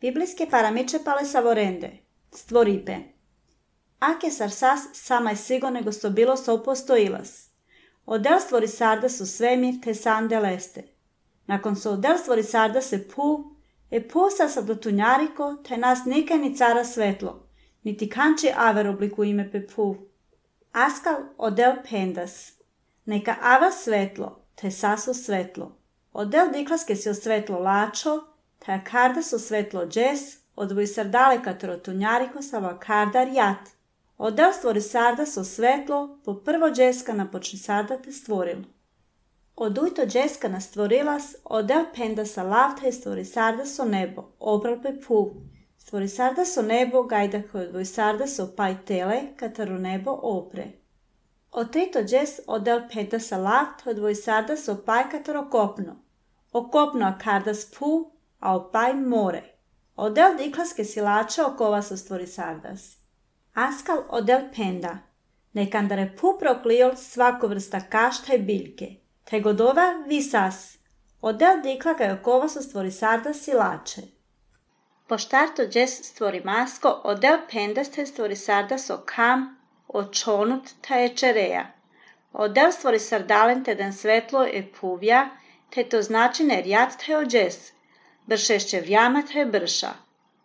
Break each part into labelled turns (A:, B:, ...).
A: Biblijske paramiče pale savorende, stvoripe. Ake sarsas sama sigurno nego sto bilo soupostojilas. Odel stvori sarda su svemir te sande leste. Nakon so odel stvori sarda se pusa sa dotunjariko te nas nikaj ni cara svetlo, niti kanči aver obliku ime pe Askal odel pendas. Neka ava svetlo, te saso svetlo. Odel diklaske si o svetlo lačo, te akarda so svetlo džes, odvoj sardale katero tunjariko sa vakarda rjat. Odel stvori sarda so svetlo, po prvo džeska na počne sarda te stvorilo. Odujto džeska na stvorilas, odel penda sa lavte stvori sarda so nebo, obral pe Stvori sarda so nebo, gajda koje odvoj sarda so paj tele, katero nebo opre. Otrito džes odel penda sa lavte odvoj sarda so paj katero kopno. Okopno akardas a opaj more. Odel diklaske silače okova so stvori sardas. Askal odel penda. Nekandare proklijol svako vrsta kašta i biljke. Te godova visas. Odel dikla ga okova so stvori sardas silače. Poštarto džes stvori masko, odel pendas te stvori sardas o kam, očonut ta ečereja. Odel stvori sardalen te den svetlo e puvja, te to znači nerjat te o džes. Bršešće vjama te brša.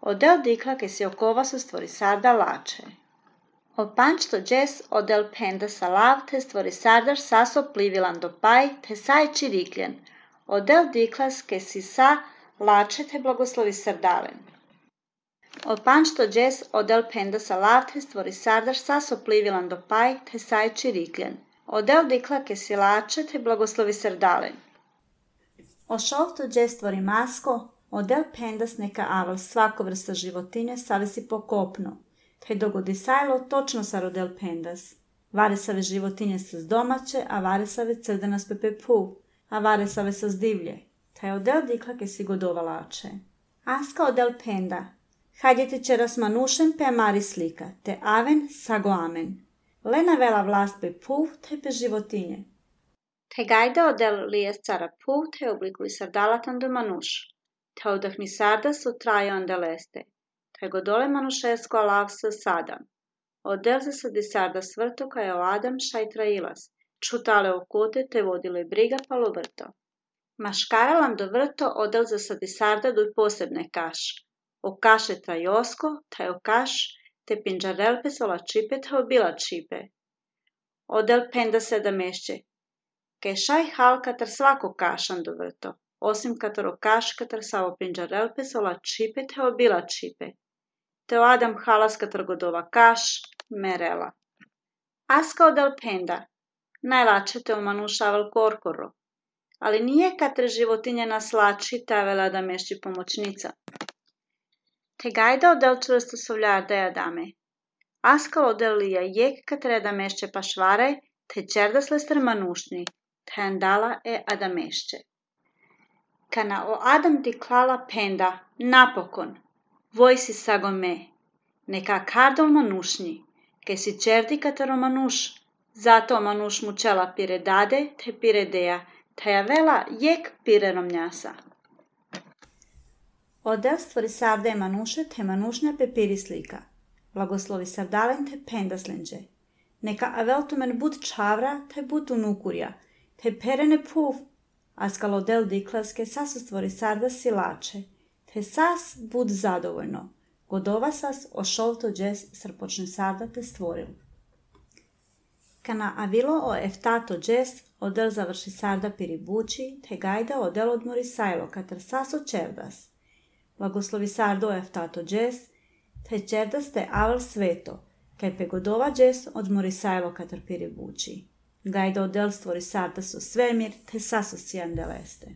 A: Odel dikla ke si okova su stvori sarda lače. O pančto džes odel penda sa lav te stvori sardar saso plivilan do paj te saj čirikljen. Odel diklas ke si sa lače te blagoslovi sardalen. O pančto džes odel penda sa lav te stvori sardar saso plivilan do paj te saj čirikljen. Odel dikla ke si lače te blagoslovi sardalen. O šovto džes stvori masko, odel pendas neka aval svako vrsta životinje savesi pokopno. Te dogodi sajlo točno sa rodel pendas. Varesave životinje sa domaće, a varesave crdenas pepe a varesave sa divlje. Te odel dikla ke si godova lače. Aska odel penda. Hajdete čeras manušen pe amari slika, te aven sago amen. Lena vela vlast pe te pe životinje. Te gajda odel lijes cara te oblikuj sardalatan do manuš. Te odahni sardas u trajo andeleste. Te godole manušesko alav sa sadam. Odel se sadi sardas vrto kaj o adam šaj trailas. Čutale okote te vodile briga palo vrto. Maškaralam do vrto odel za sadi sarda do posebne kaš. O kaše trajosko, te o kaš, te pinđarelpe sola čipe te obila čipe. Odel penda se da mešće. Ke šaj hal katar svako kašan do vrto. Osim katero kaš katar savo pinđarelpe sola čipe te obila čipe. Te o adam halas katar godova kaš, merela. Aska odel penda. Najlače te omanušaval korkoro. Ali nije katre životinje naslači ta vela da mešći pomoćnica. Te gajda odel čvrsto sovljar da jadame. Askal odel lija jek katre da mešće pašvaraj, te čerdas lester manušni, te andala e adamešće. Kana o adam ti klala penda, napokon, vojsi sagome, neka kardol manušnji, ke si čerdi katero manuš, zato manuš mu čela pire dade te pire deja, te javela jek pire romnjasa. Odel stvori sarde manuše te manušnja pe piri slika. Blagoslovi sardalen te pendaslenđe. Neka aveltumen bud čavra te bud unukurja, te perene askal odel diklaske sasu stvori sarda silače, te sas bud zadovoljno. Godova sas o šolto džes srpočne sarda te stvoril. Kana avilo o eftato džes odel završi sarda piribući, te gajda odel odmori sajlo katar saso čerdas. Blagoslovi sardo eftato džes, te čerdas te aval sveto, kaj pe godova džes odmori sajlo katar piribući. Gajda odel stvori sarda so svemir, te saso sijandeleste.